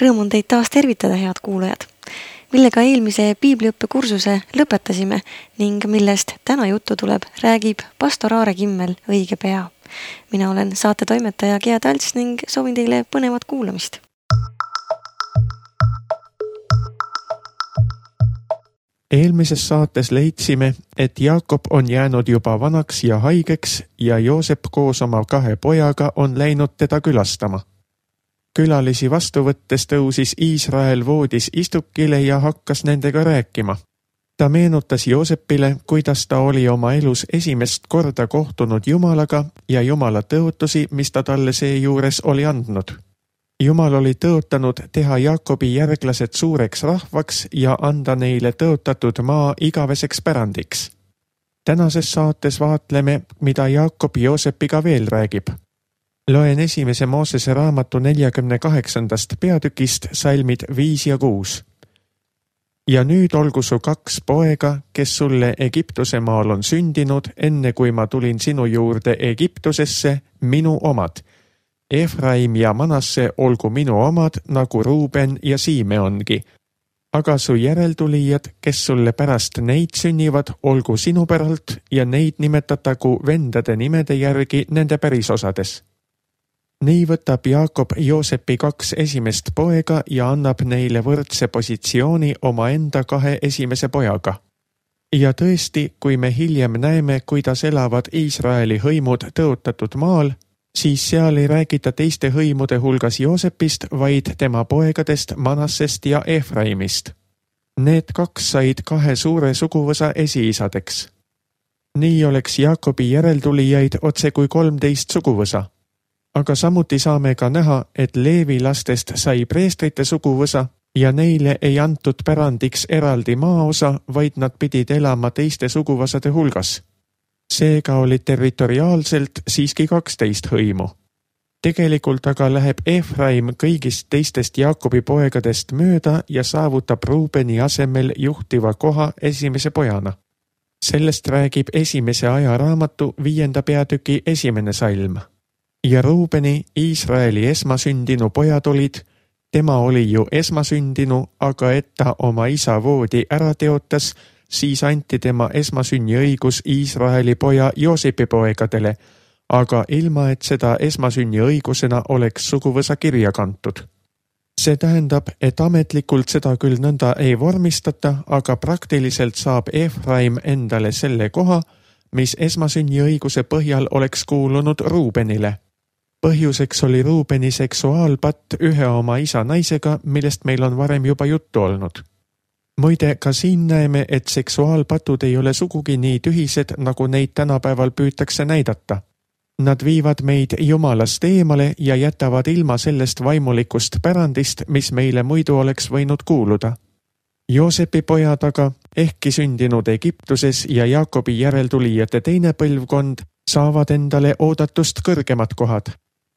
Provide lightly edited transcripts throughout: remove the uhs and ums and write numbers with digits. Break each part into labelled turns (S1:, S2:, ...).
S1: Rõõm on teid taas tervitada, head kuulajad, millega eelmise piibliõppekursuse lõpetasime ning millest täna juttu tuleb, räägib pastor Aare Kimmel õige pea. Mina olen saatetoimetaja Gea Talts ning soovin teile põnevat kuulamist.
S2: Eelmises saates leidsime, et Jaakob on jäänud juba vanaks ja haigeks ja Joosep koos oma 2 pojaga on läinud teda külastama. Külalisi vastu võttes tõusis Iisrael voodis istukile ja hakkas nendega rääkima. Ta meenutas Joosepile, kuidas ta oli oma elus esimest korda kohtunud Jumalaga ja Jumala tõotusi, mis ta talle seejuures oli andnud. Jumal oli tõotanud teha Jaakobi järglased suureks rahvaks ja anda neile tõotatud maa igaveseks pärandiks. Tänases saates vaatleme, mida Jaakob Joosepiga veel räägib. Loen 1. Moosese raamatu 48. peatükist salmid 5 ja 6. Ja nüüd olgu su 2 poega, kes sulle Egiptuse maal on sündinud, enne kui ma tulin sinu juurde Egiptusesse, minu omad. Efraim ja Manasse olgu minu omad, nagu Ruuben ja Siimeongi. Aga su järeltulijad, kes sulle pärast neid sünnivad, olgu sinu päralt ja neid nimetatagu vendade nimede järgi nende pärisosades. Nii võtab Jaakob Joosepi 2 esimest poega ja annab neile võrdse positsiooni oma enda 2 esimese pojaga. Ja tõesti, kui me hiljem näeme, kuidas elavad Iisraeli hõimud tõotatud maal, siis seal ei räägita teiste hõimude hulgas Joosepist, vaid tema poegadest Manassest ja Efraimist. Need 2 said 2 suure suguvõsa esiisadeks. Nii oleks Jaakobi järeltulijaid otse kui 13 suguvõsa. Aga samuti saame ka näha, et Leevi lastest sai preestrite suguvõsa ja neile ei antud pärandiks eraldi maaosa, vaid nad pidid elama teiste suguvõsade hulgas. Seega oli territoriaalselt siiski 12 hõimu. Tegelikult aga läheb Efraim kõigist teistest Jaakobi poegadest mööda ja saavutab Ruubeni asemel juhtiva koha esimese pojana. Sellest räägib 1. ajaraamatu 5. peatüki 1. salm. Ja Ruubeni, Iisraeli esmasündinu pojad olid, tema oli ju esmasündinu, aga et ta oma isa voodi ära teotas, siis anti tema esmasünni õigus Iisraeli poja Joosepi poegadele, aga ilma, et seda esmasünni õigusena oleks suguvõsa kirja kantud. See tähendab, et ametlikult seda küll nõnda ei vormistata, aga praktiliselt saab Efraim endale selle koha, mis esmasünni õiguse põhjal oleks kuulunud Ruubenile. Põhjuseks oli Ruubeni seksuaalpatt ühe oma isa naisega, millest meil on varem juba juttu olnud. Muide, ka siin näeme, et seksuaalpatud ei ole sugugi nii tühised, nagu neid tänapäeval püütakse näidata. Nad viivad meid Jumalast eemale ja jätavad ilma sellest vaimulikust pärandist, mis meile muidu oleks võinud kuuluda. Joosepi pojad aga, ehkki sündinud Egiptuses ja Jaakobi järeltulijate teine põlvkond, saavad endale oodatust kõrgemad kohad.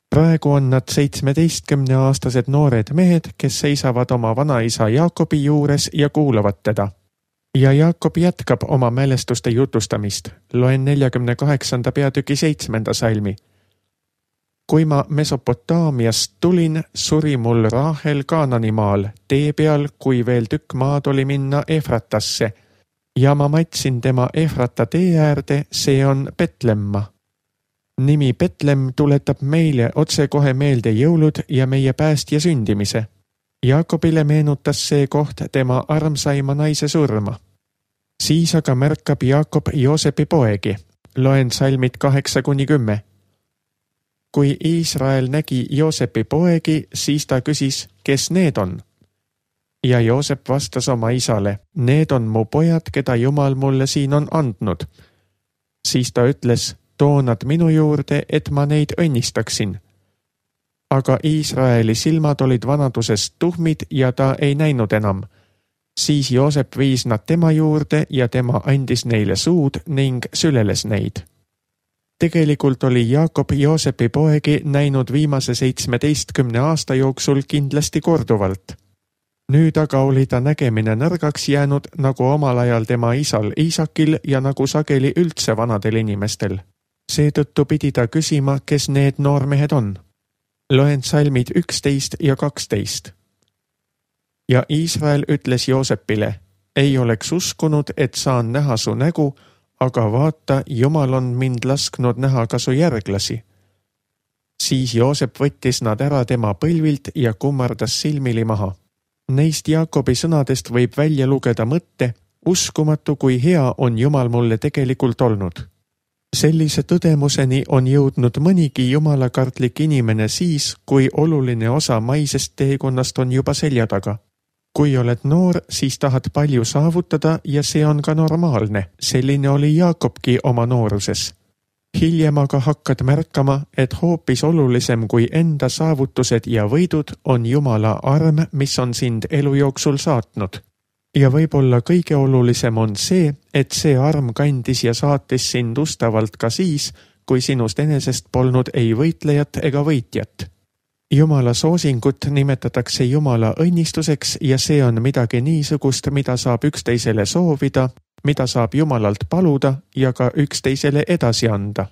S2: Praegu on nad 17-aastased noored mehed, kes seisavad oma vanaisa Jaakobi juures ja kuulavad teda. Ja Jaakob jätkab oma mälestuste jutustamist. Loen 48. peatüki 7. salmi. Kui ma Mesopotaamiast tulin, suri mul Raahel Kaananimaal, tee peal, kui veel tükk maad oli minna Efratasse. Ja ma matsin tema Efrata tee äärde, see on Betlemma. Nimi Betlem tuletab meile otsekohe meelde jõulud ja meie päästja sündimise. Jaakobile meenutas see koht tema armsaima naise surma. Siis aga märkab Jaakob Joosepi poegi. Loen salmid 8-10. Kui Iisrael nägi Joosepi poegi, siis ta küsis, kes need on? Ja Joosep vastas oma isale, need on mu pojad, keda Jumal mulle siin on andnud. Siis ta ütles, too nad minu juurde, et ma neid õnnistaksin. Aga Iisraeli silmad olid vanadusest tuhmid ja ta ei näinud enam. Siis Joosep viis nad tema juurde ja tema andis neile suud ning süleles neid. Tegelikult oli Jaakob Joosepi poegi näinud viimase 17 aasta jooksul kindlasti korduvalt. Nüüd aga oli ta nägemine nõrgaks jäänud, nagu omal ajal tema isal Iisakil ja nagu sageli üldse vanadel inimestel. Seetõttu pidi ta küsima, kes need noormehed on. Loen salmid 11 ja 12. Ja Iisrael ütles Joosepile, ei oleks uskunud, et saan näha su nägu, aga vaata, Jumal on mind lasknud näha ka su järglasi. Siis Joosep võttis nad ära tema põlvilt ja kummardas silmili maha. Neist Jaakobi sõnadest võib välja lugeda mõtte, uskumatu kui hea on Jumal mulle tegelikult olnud. Sellise tõdemuseni on jõudnud mõnigi jumalakartlik inimene siis, kui oluline osa maisest teekonnast on juba selja taga. Kui oled noor, siis tahad palju saavutada ja see on ka normaalne. Selline oli Jaakobki oma nooruses. Hiljem aga hakkad märkama, et hoopis olulisem kui enda saavutused ja võidud on Jumala arm, mis on sind elu jooksul saatnud. Ja võib-olla kõige olulisem on see, et see arm kandis ja saatis sind ustavalt ka siis, kui sinust enesest polnud ei võitlejat ega võitjat. Jumala soosingut nimetatakse Jumala õnnistuseks ja see on midagi niisugust, mida saab üksteisele soovida, mida saab Jumalalt paluda ja ka üksteisele edasi anda.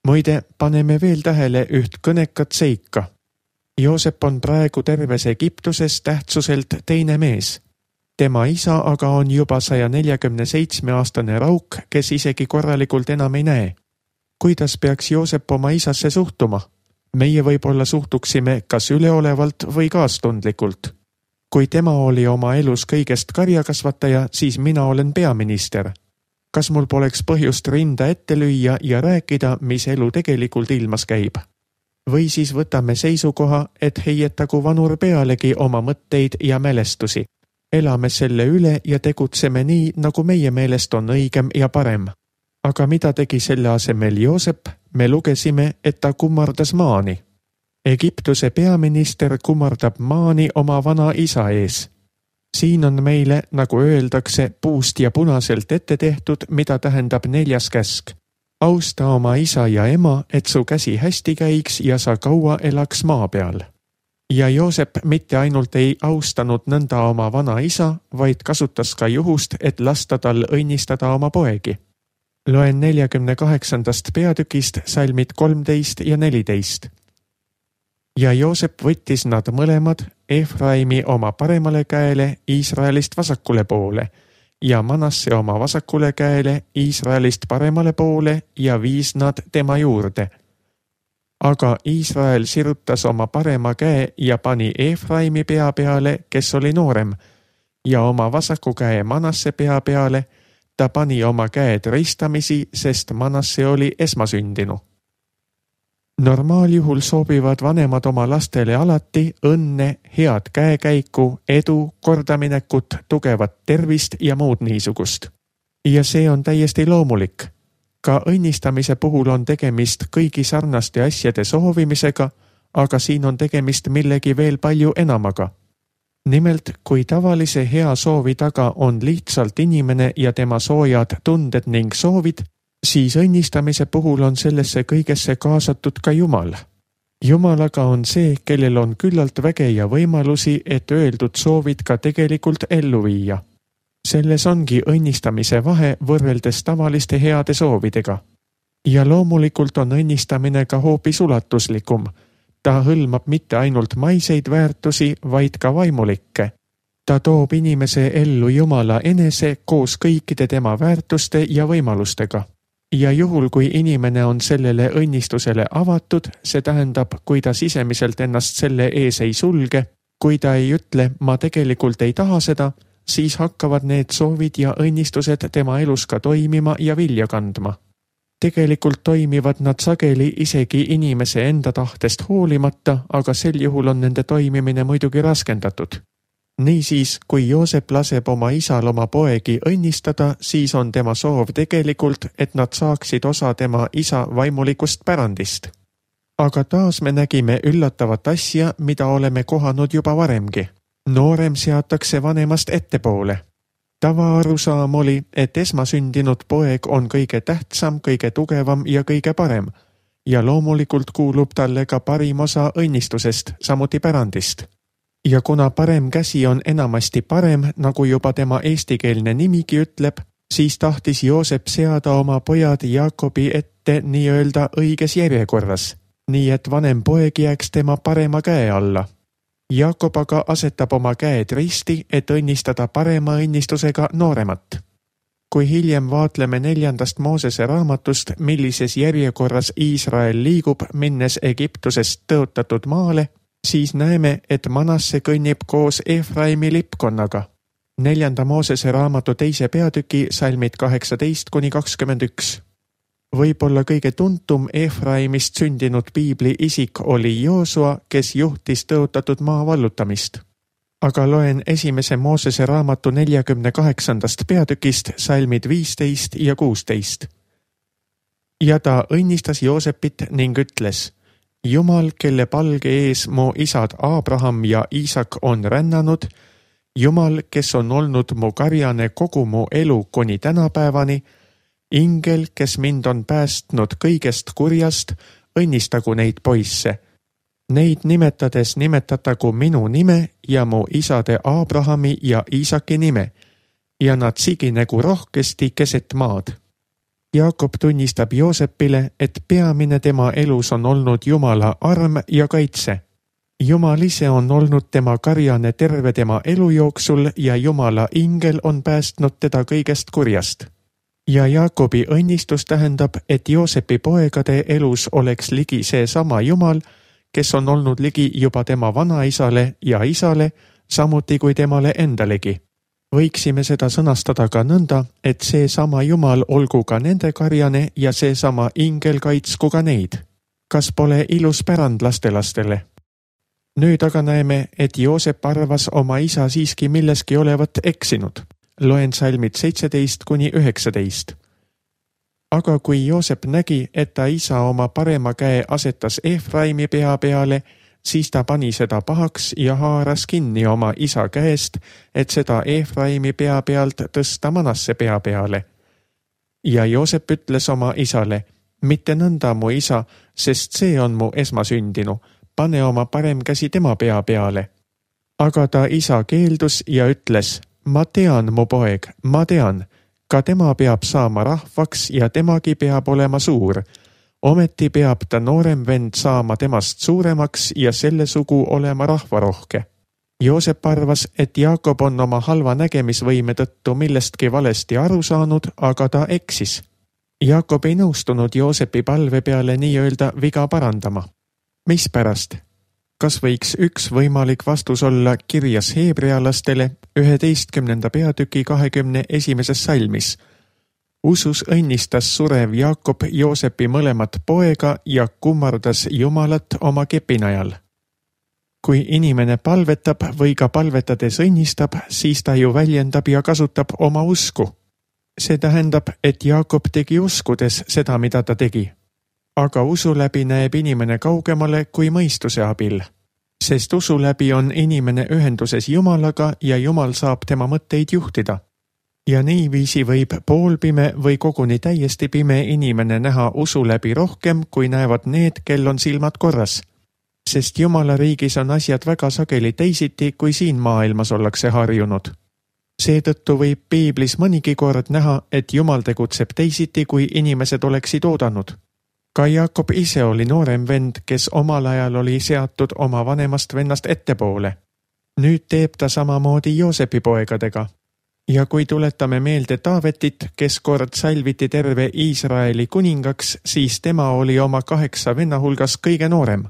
S2: Muide, paneme veel tähele üht kõnekat seika. Joosep on praegu terves Egiptuses tähtsuselt teine mees. Tema isa aga on juba 147-aastane rauk, kes isegi korralikult enam ei näe. Kuidas peaks Joosep oma isasse suhtuma? Meie võib-olla suhtuksime kas üleolevalt või kaastundlikult. Kui tema oli oma elus kõigest karjakasvataja, siis mina olen peaminister. Kas mul poleks põhjust rinda ette lüüa ja rääkida, mis elu tegelikult ilmas käib? Või siis võtame seisukoha, et heietagu vanur pealegi oma mõtteid ja mälestusi. Elame selle üle ja tegutseme nii, nagu meie meelest on õigem ja parem. Aga mida tegi selle asemel Joosep? Me lugesime, et ta kummardas maani. Egiptuse peaminister kummardab maani oma vana isa ees. Siin on meile, nagu öeldakse, puust ja punaselt ette tehtud, mida tähendab 4. käsk. Austa oma isa ja ema, et su käsi hästi käiks ja sa kaua elaks maa peal. Ja Joosep mitte ainult ei austanud nõnda oma vana isa, vaid kasutas ka juhust, et lasta tal õnnistada oma poegi. Loen 48. peatükist salmid 13 ja 14. Ja Joosep võttis nad mõlemad, Efraimi oma paremale käele, Iisraelist vasakule poole, ja Manasse oma vasakule käele, Iisraelist paremale poole ja viis nad tema juurde. Aga Iisrael sirutas oma parema käe ja pani Efraimi pea peale, kes oli noorem, ja oma vasaku käe Manasse pea peale. Ta pani oma käed ristamisi, sest Manasse oli esmasündinu. Normaaljuhul soovivad vanemad oma lastele alati õnne, head käekäiku, edu, kordaminekut, tugevat tervist ja muud niisugust. Ja see on täiesti loomulik. Ka õnnistamise puhul on tegemist kõigi sarnaste asjade soovimisega, aga siin on tegemist millegi veel palju enamaga. Nimelt, kui tavalise hea soovi taga on lihtsalt inimene ja tema soojad tunded ning soovid, siis õnnistamise puhul on sellesse kõigesse kaasatud ka Jumal. Jumal aga on see, kellel on küllalt väge ja võimalusi, et öeldud soovid ka tegelikult ellu viia. Selles ongi õnnistamise vahe võrreldes tavaliste heade soovidega. Ja loomulikult on õnnistamine ka hoopis ulatuslikum. Ta hõlmab mitte ainult maiseid väärtusi, vaid ka vaimulikke. Ta toob inimese ellu Jumala enese koos kõikide tema väärtuste ja võimalustega. Ja juhul, kui inimene on sellele õnnistusele avatud, see tähendab, kui ta sisemiselt ennast selle ees ei sulge, kui ta ei ütle, ma tegelikult ei taha seda, siis hakkavad need soovid ja õnnistused tema elus ka toimima ja vilja kandma. Tegelikult toimivad nad sageli isegi inimese enda tahtest hoolimata, aga sel juhul on nende toimimine muidugi raskendatud. Niisiis, kui Joosep laseb oma isal oma poegi õnnistada, siis on tema soov tegelikult, et nad saaksid osa tema isa vaimulikust pärandist. Aga taas me nägime üllatavat asja, mida oleme kohanud juba varemgi. Noorem seatakse vanemast ettepoole. Tavaarusaam oli, et esmasündinud poeg on kõige tähtsam, kõige tugevam ja kõige parem. Ja loomulikult kuulub talle ka parim osa õnnistusest, samuti pärandist. Ja kuna parem käsi on enamasti parem, nagu juba tema eestikeelne nimigi ütleb, siis tahtis Joosep seada oma pojad Jaakobi ette nii-öelda õiges järjekorras, nii et vanem poeg jääks tema parema käe alla. Jaakob aga asetab oma käed risti, et õnnistada parema õnnistusega nooremat. Kui hiljem vaatleme 4. Moosese raamatust, millises järjekorras Iisrael liigub, minnes Egiptusest tõotatud maale, siis näeme, et Manasse kõnnib koos Efraimi lipkonnaga. 4. Moosese raamatu 2. peatüki salmid 18-21. Võib-olla kõige tuntum Efraimist sündinud piibli isik oli Joosua, kes juhtis tõotatud maa vallutamist. Aga loen 1. Moosese raamatu 48. peatükist salmid 15 ja 16. Ja ta õnnistas Joosepit ning ütles: Jumal, kelle palge ees mu isad Abraham ja Iisak on rännanud, Jumal, kes on olnud mu karjane kogu mu elu kuni tänapäevani, ingel, kes mind on päästnud kõigest kurjast, õnnistagu neid poisse. Neid nimetades nimetatagu minu nime ja mu isade Abrahami ja Iisaki nime, ja nad siginegu rohkesti keset maad. Jaakob tunnistab Joosepile, et peamine tema elus on olnud Jumala arm ja kaitse. Jumal ise on olnud tema karjane terve tema elu jooksul ja Jumala ingel on päästnud teda kõigest kurjast. Ja Jaakobi õnnistus tähendab, et Joosepi poegade elus oleks ligi seesama Jumal, kes on olnud ligi juba tema vanaisale ja isale, samuti kui temale endalegi. Võiksime seda sõnastada ka nõnda, et seesama Jumal olgu ka nende karjane ja seesama ingel kaitsku ka neid. Kas pole ilus pärand lastelastele? Nüüd aga näeme, et Joosep arvas oma isa siiski milleski olevat eksinud. Loen salmid 17-19. Aga kui Joosep nägi, et ta isa oma parema käe asetas Efraimi pea peale, siis ta pani seda pahaks ja haaras kinni oma isa käest, et seda Efraimi pea pealt tõsta Manasse pea peale. Ja Joosep ütles oma isale: mitte nõnda, mu isa, sest see on mu esmasündinu, pane oma parem käsi tema pea peale. Aga ta isa keeldus ja ütles: ma tean, mu poeg, ma tean, ka tema peab saama rahvaks ja temagi peab olema suur. Ometi peab ta noorem vend saama temast suuremaks ja selle sugu olema rahvarohke. Joosep arvas, et Jaakob on oma halva nägemisvõime tõttu millestki valesti aru saanud, aga ta eksis. Jaakob ei nõustunud Joosepi palve peale nii-öelda viga parandama. Mispärast? Kas võiks üks võimalik vastus olla kirjas heebrealastele 11. peatüki 21. salmis? Usus õnnistas surev Jaakob Joosepi mõlemat poega ja kummardas Jumalat oma kepinajal. Kui inimene palvetab või ka palvetades õnnistab, siis ta ju väljendab ja kasutab oma usku. See tähendab, et Jaakob tegi uskudes seda, mida ta tegi. Aga usu läbi näeb inimene kaugemale kui mõistuse abil. Sest usu läbi on inimene ühenduses Jumalaga ja Jumal saab tema mõtteid juhtida. Ja niiviisi võib poolpime või koguni täiesti pime inimene näha usu läbi rohkem, kui näevad need, kel on silmad korras. Sest Jumala riigis on asjad väga sageli teisiti, kui siin maailmas ollakse harjunud. Seetõttu võib piiblis mõnigi kord näha, et Jumal tegutseb teisiti, kui inimesed oleksid oodanud. Ka Jaakob ise oli noorem vend, kes omal ajal oli seatud oma vanemast vennast ettepoole. Nüüd teeb ta samamoodi Joosepi poegadega. Ja kui tuletame meelde Taavetit, kes kord salviti terve Iisraeli kuningaks, siis tema oli oma 8 venna hulgas kõige noorem.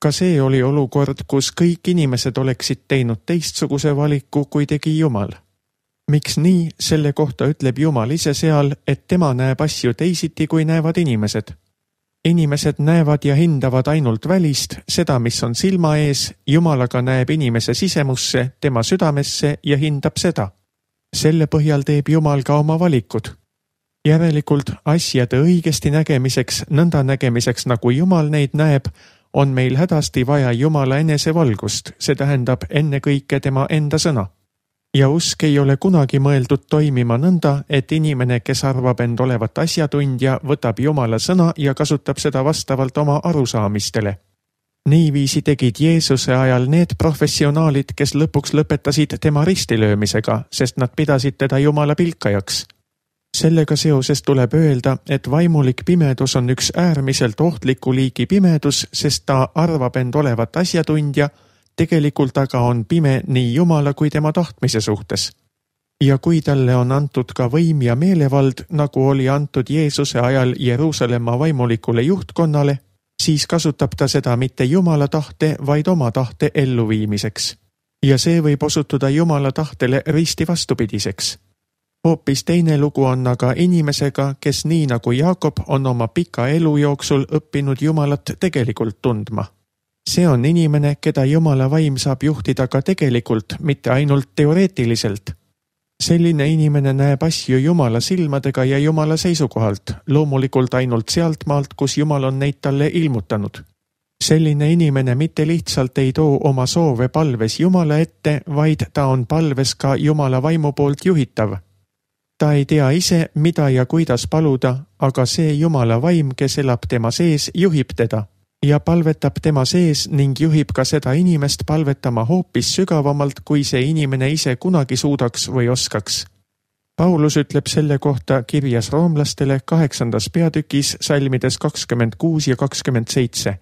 S2: Ka see oli olukord, kus kõik inimesed oleksid teinud teistsuguse valiku, kui tegi Jumal. Miks nii, selle kohta ütleb Jumal ise seal, et tema näeb asju teisiti, kui näevad inimesed. Inimesed näevad ja hindavad ainult välist, seda, mis on silma ees, Jumal aga näeb inimese sisemusse, tema südamesse ja hindab seda. Selle põhjal teeb Jumal ka oma valikud. Järelikult asjade õigesti nägemiseks, nõnda nägemiseks, nagu Jumal neid näeb, on meil hädasti vaja Jumala enesevalgust, see tähendab ennekõike tema enda sõna. Ja usk ei ole kunagi mõeldud toimima nõnda, et inimene, kes arvab end olevat asjatundja, võtab Jumala sõna ja kasutab seda vastavalt oma arusaamistele. Niiviisi tegid Jeesuse ajal need professionaalid, kes lõpuks lõpetasid tema ristilöömisega, sest nad pidasid teda Jumala pilkajaks. Sellega seoses tuleb öelda, et vaimulik pimedus on üks äärmiselt ohtliku liigi pimedus, sest ta arvab end olevat asjatundja, tegelikult aga on pime nii Jumala kui tema tahtmise suhtes. Ja kui talle on antud ka võim ja meelevald, nagu oli antud Jeesuse ajal Jeruusalemma vaimulikule juhtkonnale, siis kasutab ta seda mitte Jumala tahte, vaid oma tahte elluviimiseks. Ja see võib osutuda Jumala tahtele risti vastupidiseks. Hoopis teine lugu on aga inimesega, kes nii nagu Jaakob on oma pika elu jooksul õppinud Jumalat tegelikult tundma. See on inimene, keda Jumala vaim saab juhtida ka tegelikult, mitte ainult teoreetiliselt. Selline inimene näeb asju Jumala silmadega ja Jumala seisukohalt, loomulikult ainult sealt maalt, kus Jumal on neid talle ilmutanud. Selline inimene mitte lihtsalt ei too oma soove palves Jumala ette, vaid ta on palves ka Jumala vaimu poolt juhitav. Ta ei tea ise, mida ja kuidas paluda, aga see Jumala vaim, kes elab tema sees, juhib teda ja palvetab tema sees ning juhib ka seda inimest palvetama hoopis sügavamalt, kui see inimene ise kunagi suudaks või oskaks. Paulus ütleb selle kohta kirjas roomlastele 8. peatükis salmides 26 ja 27.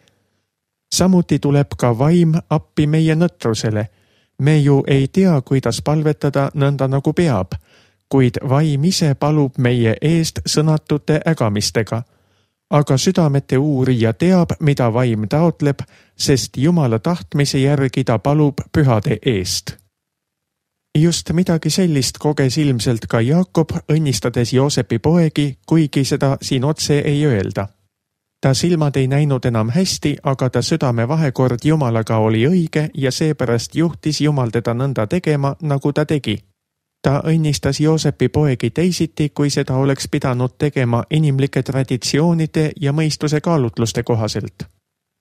S2: Samuti tuleb ka vaim appi meie nõtrusele. Me ju ei tea, kuidas palvetada nõnda nagu peab, kuid vaim ise palub meie eest sõnatute ägamistega. Aga südamete uurija teab, mida vaim taotleb, sest Jumala tahtmise järgi ta palub pühade eest. Just midagi sellist koges ilmselt ka Jaakob, õnnistades Joosepi poegi, kuigi seda siin otse ei öelda. Ta silmad ei näinud enam hästi, aga ta südame vahekord Jumalaga oli õige ja seepärast juhtis Jumal teda nõnda tegema, nagu ta tegi. Ta õnnistas Joosepi poegi teisiti, kui seda oleks pidanud tegema inimlike traditsioonide ja mõistuse kaalutluste kohaselt.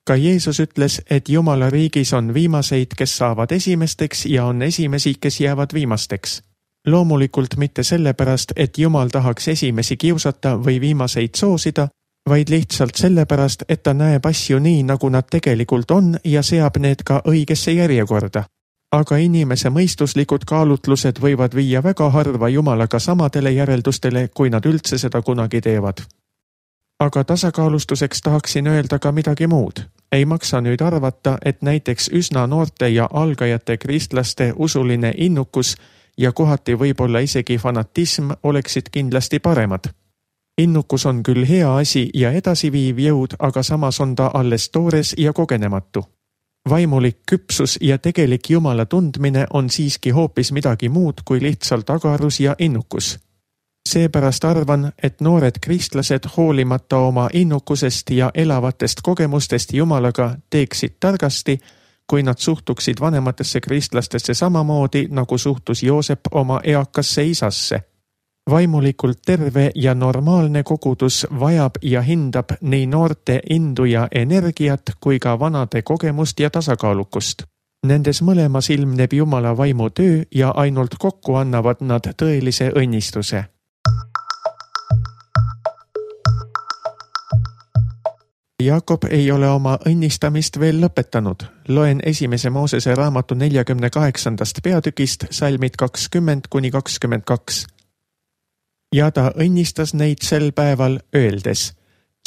S2: Ka Jeesus ütles, et Jumala riigis on viimaseid, kes saavad esimesteks ja on esimesi, kes jäävad viimasteks. Loomulikult mitte sellepärast, et Jumal tahaks esimesi kiusata või viimaseid soosida, vaid lihtsalt sellepärast, et ta näeb asju nii, nagu nad tegelikult on ja seab need ka õigesse järjekorda. Aga inimese mõistuslikud kaalutlused võivad viia väga harva Jumalaga samadele järeldustele, kui nad üldse seda kunagi teevad. Aga tasakaalustuseks tahaksin öelda ka midagi muud. Ei maksa nüüd arvata, et näiteks üsna noorte ja algajate kristlaste usuline innukus ja kohati võib-olla isegi fanatism oleksid kindlasti paremad. Innukus on küll hea asi ja edasiviiv jõud, aga samas on ta alles toores ja kogenematu. Vaimulik küpsus ja tegelik Jumala tundmine on siiski hoopis midagi muud kui lihtsalt agarus ja innukus. Seepärast arvan, et noored kristlased hoolimata oma innukusest ja elavatest kogemustest Jumalaga teeksid targasti, kui nad suhtuksid vanematesse kristlastesse samamoodi, nagu suhtus Joosep oma eakasse isasse. Vaimulikult terve ja normaalne kogudus vajab ja hindab nii noorte indu ja energiat kui ka vanade kogemust ja tasakaalukust. Nendes mõlemas ilmneb Jumala vaimu töö ja ainult kokku annavad nad tõelise õnnistuse. Jaakob ei ole oma õnnistamist veel lõpetanud. Loen 1. Moosese raamatu 48. peatükist salmid 20–22. Ja ta õnnistas neid sel päeval öeldes,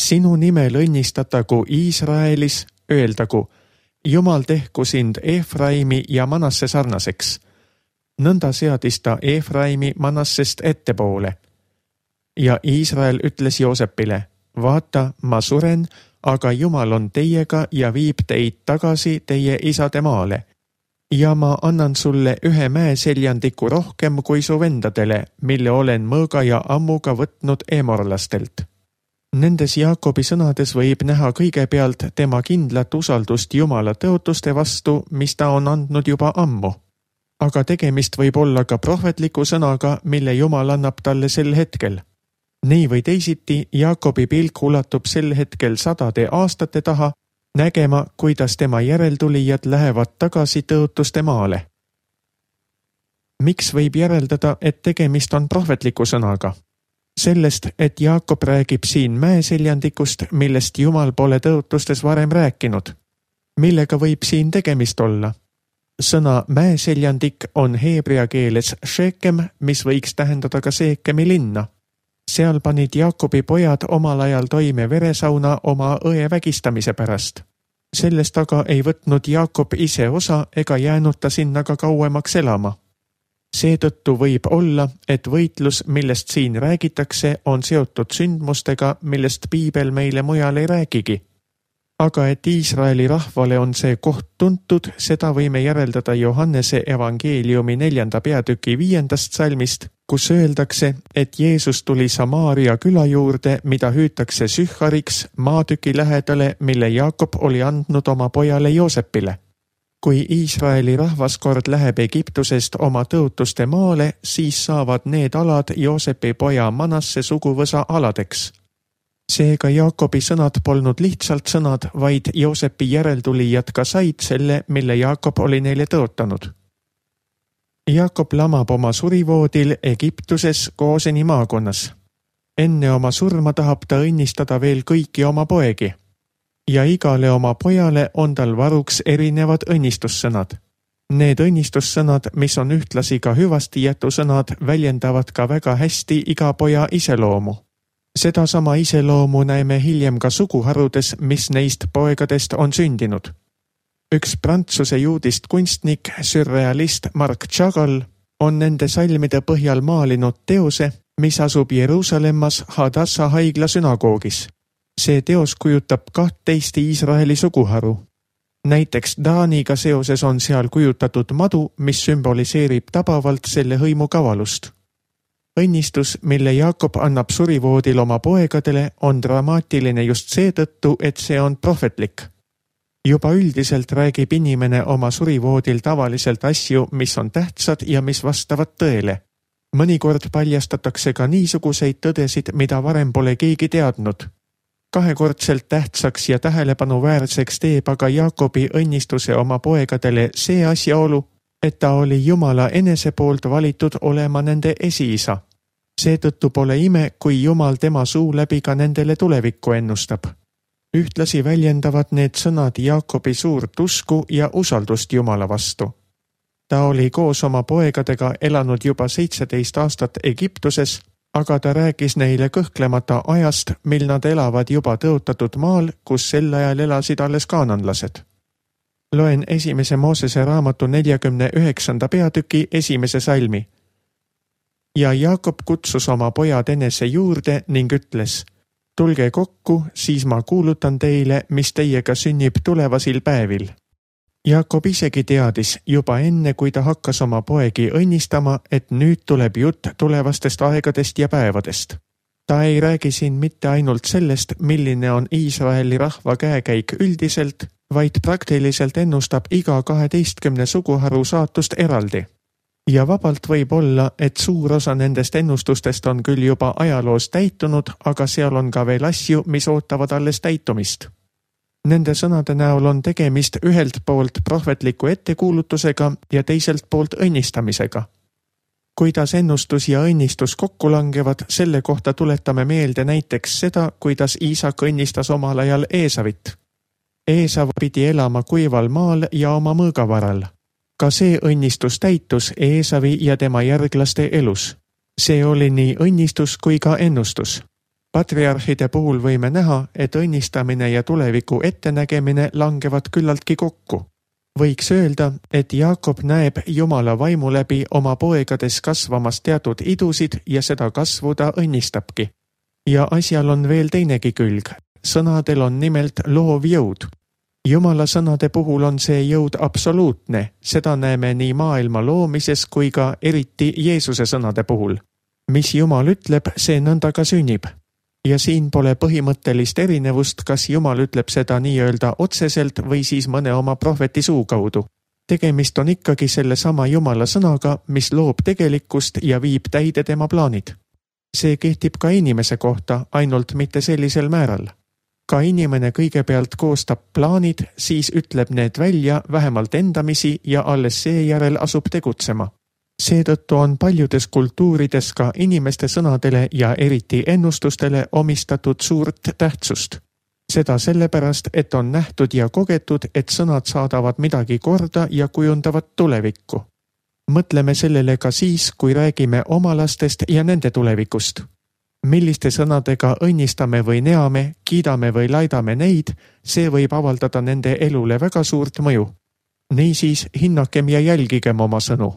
S2: sinu nimel õnnistatagu Iisraelis, öeldagu, Jumal tehku sind Efraimi ja Manasse sarnaseks. Nõnda seadis ta Efraimi Manassest ettepoole. Ja Iisrael ütles Joosepile, vaata, ma suren, aga Jumal on teiega ja viib teid tagasi teie isade maale. Ja ma annan sulle ühe mäeseljandiku rohkem kui su vendadele, mille olen mõõga ja ammuga võtnud eemorlastelt. Nendes Jaakobi sõnades võib näha kõigepealt tema kindlat usaldust Jumala tõotuste vastu, mis ta on andnud juba ammu. Aga tegemist võib olla ka prohvetliku sõnaga, mille Jumal annab talle sel hetkel. Nii või teisiti, Jaakobi pilk ulatub sel hetkel 100 aastate taha, nägema, kuidas tema järeltulijad lähevad tagasi tõotuste maale. Miks võib järeldada, et tegemist on prohvetliku sõnaga? Sellest, et Jaakob räägib siin mäeseljandikust, millest Jumal pole tõotustes varem rääkinud. Millega võib siin tegemist olla? Sõna mäeseljandik on heebrea keeles Shekem, mis võiks tähendada ka Seekemi linna. Seal panid Jaakobi pojad omal ajal toime veresauna oma õe vägistamise pärast. Sellest aga ei võtnud Jaakob ise osa ega jäänud ta sinna ka kauemaks elama. Seetõttu võib olla, et võitlus, millest siin räägitakse, on seotud sündmustega, millest piibel meile mujal ei räägigi. Aga et Iisraeli rahvale on see koht tuntud, seda võime järeldada Johannese evangeeliumi 4. peatüki 5. salmist, kus öeldakse, et Jeesus tuli Samaaria küla juurde, mida hüütakse Sühhariks, maatüki lähedale, mille Jaakob oli andnud oma pojale Joosepile. Kui Iisraeli rahvas kord läheb Egiptusest oma tõotuste maale, siis saavad need alad Joosepi poja Manasse suguvõsa aladeks. Seega Jaakobi sõnad polnud lihtsalt sõnad, vaid Joosepi järeltulijad ka said selle, mille Jaakob oli neile tõotanud. Jaakob lamab oma surivoodil Egiptuses Gooseni maakonnas. Enne oma surma tahab ta õnnistada veel kõiki oma poegi. Ja igale oma pojale on tal varuks erinevad õnnistussõnad. Need õnnistussõnad, mis on ühtlasi ka hüvastijätusõnad, väljendavad ka väga hästi iga poja iseloomu. Sedasama iseloomu näeme hiljem ka suguharudes, mis neist poegadest on sündinud. Üks Prantsuse juudist kunstnik, sürrealist Marc Chagall on nende salmide põhjal maalinud teose, mis asub Jeruusalemmas Hadassa haigla sünagoogis. See teos kujutab 12 Iisraeli suguharu. Näiteks Daaniga seoses on seal kujutatud madu, mis sümboliseerib tabavalt selle hõimu kavalust. Õnnistus, mille Jaakob annab surivoodil oma poegadele, on dramaatiline just seetõttu, et see on prohvetlik. Juba üldiselt räägib inimene oma surivoodil tavaliselt asju, mis on tähtsad ja mis vastavad tõele. Mõnikord paljastatakse ka niisuguseid tõdesid, mida varem pole keegi teadnud. Kahekordselt tähtsaks ja tähelepanuväärseks teeb aga Jaakobi õnnistuse oma poegadele see asjaolu, et ta oli Jumala enese poolt valitud olema nende esiisa. Seetõttu pole ime, kui Jumal tema suu läbi ka nendele tulevikku ennustab. Ühtlasi väljendavad need sõnad Jaakobi suurt usku ja usaldust Jumala vastu. Ta oli koos oma poegadega elanud juba 17 aastat Egiptuses, aga ta rääkis neile kõhklemata ajast, mil nad elavad juba tõotatud maal, kus sel ajal elasid alles kaananlased. Loen 1. Moosese raamatu 49. peatüki 1. salmi. Ja Jaakob kutsus oma pojad enese juurde ning ütles, tulge kokku, siis ma kuulutan teile, mis teiega sünnib tulevasil päevil. Jaakob isegi teadis juba enne, kui ta hakkas oma poegi õnnistama, et nüüd tuleb jutt tulevastest aegadest ja päevadest. Ta ei räägi siin mitte ainult sellest, milline on Iisraeli rahva käekäik üldiselt, vaid praktiliselt ennustab iga 12 suguharu saatust eraldi. Ja vabalt võib olla, et suur osa nendest ennustustest on küll juba ajaloos täitunud, aga seal on ka veel asju, mis ootavad alles täitumist. Nende sõnade näol on tegemist ühelt poolt prohvetliku ettekuulutusega ja teiselt poolt õnnistamisega. Kuidas ennustus ja õnnistus kokku langevad, selle kohta tuletame meelde näiteks seda, kuidas Iisak õnnistas omal ajal Eesavit. Eesav pidi elama kuival maal ja oma mõõgavaral. Ka see õnnistus täitus Eesavi ja tema järglaste elus. See oli nii õnnistus kui ka ennustus. Patriarhide puhul võime näha, et õnnistamine ja tuleviku ettenägemine langevad küllaltki kokku. Võiks öelda, et Jaakob näeb Jumala vaimu läbi oma poegades kasvamas teatud idusid ja seda kasvu ta õnnistabki. Ja asjal on veel teinegi külg. Sõnadel on nimelt loov jõud. Jumala sõnade puhul on see jõud absoluutne, seda näeme nii maailma loomises kui ka eriti Jeesuse sõnade puhul. Mis Jumal ütleb, see nõnda ka sünnib. Ja siin pole põhimõttelist erinevust, kas Jumal ütleb seda nii-öelda otseselt või siis mõne oma prohveti suu kaudu. Tegemist on ikkagi selle sama Jumala sõnaga, mis loob tegelikkust ja viib täide tema plaanid. See kehtib ka inimese kohta, ainult mitte sellisel määral. Ka inimene kõigepealt koostab plaanid, siis ütleb need välja vähemalt endamisi ja alles seejärel asub tegutsema. Seetõttu on paljudes kultuurides ka inimeste sõnadele ja eriti ennustustele omistatud suurt tähtsust. Seda sellepärast, et on nähtud ja kogetud, et sõnad saadavad midagi korda ja kujundavad tulevikku. Mõtleme sellele ka siis, kui räägime oma lastest ja nende tulevikust. Milliste sõnadega õnnistame või neame, kiidame või laidame neid, see võib avaldada nende elule väga suurt mõju. Niisiis hinnakem ja jälgigem oma sõnu.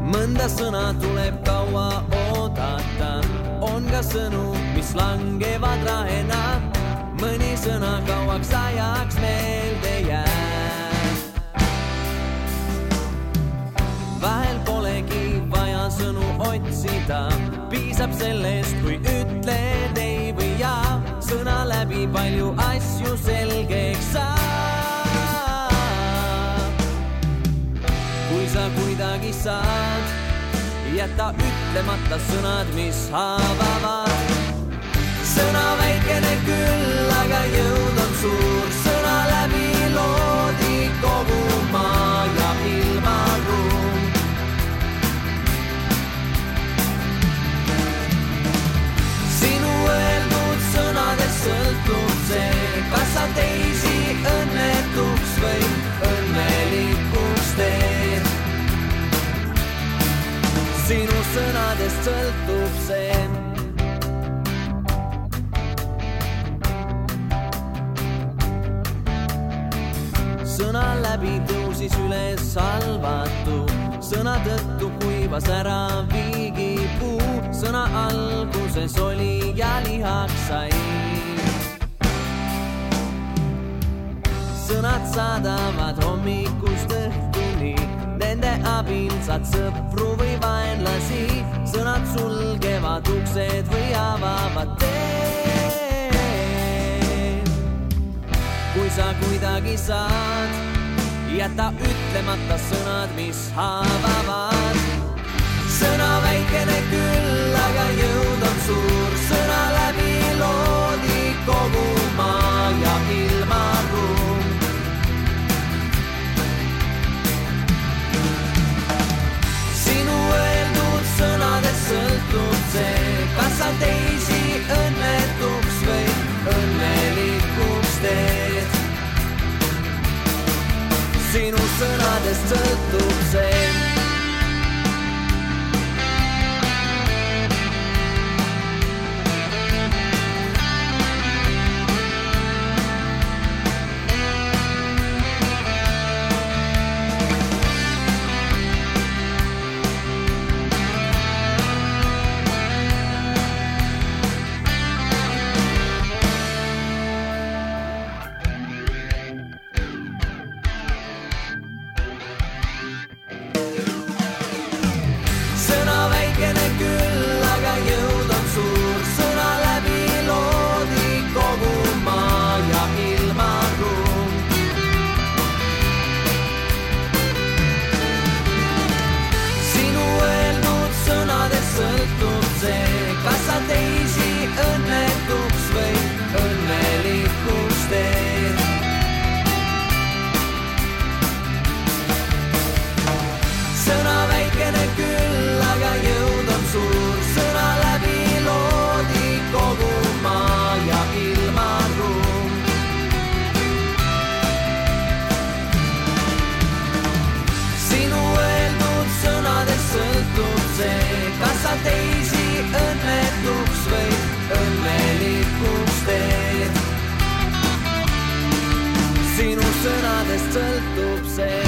S3: Mõnda sõna tuleb kaua oodata, on ka sõnu, mis langevad rahena. Mõni sõna kauaks ajaks meelde jääb. Vahel polegi vaja sõnu otsida, piisab sellest, kui ütled ei või jaa. Sõna läbi palju asju selgeks saab. Kui sa kuidagi saad, jäta ütlemata sõnad, mis haavavad. Sõna väikene küll, aga jõud on suur. Sõna läbi loodi kogu maa ja ilmaruum. Sinu öeldud sõnadest sõltub see, kas sa teisi õnnetuks või õnnelikuks teed. Sinu sõnadest sõltub see. Sõna läbi tõusis üles salvatu, sõna tõttu kuivas ära viigipuu. Sõna alguses oli ja lihaks sai. Sõnad saadavad hommikust õhtuni, nende abil saad sõpru või vaenlasi. Sõnad sulgevad uksed või avavad teed. Kui sa kuidagi saad, jäta ütlemata sõnad, mis haavavad. Sõna väikene küll, aga jõud on suur. Sõna läbi loodi kogu maa ja ilmaruum. Sinu öeldud sõnadest sõltub see, kas sa teisi õnnetuks või õnnelikuks teed. Sinu sõnadest sõltub see. Teisi õnnetuks või õnnelikuks teed. Sinu sõnadest sõltub see.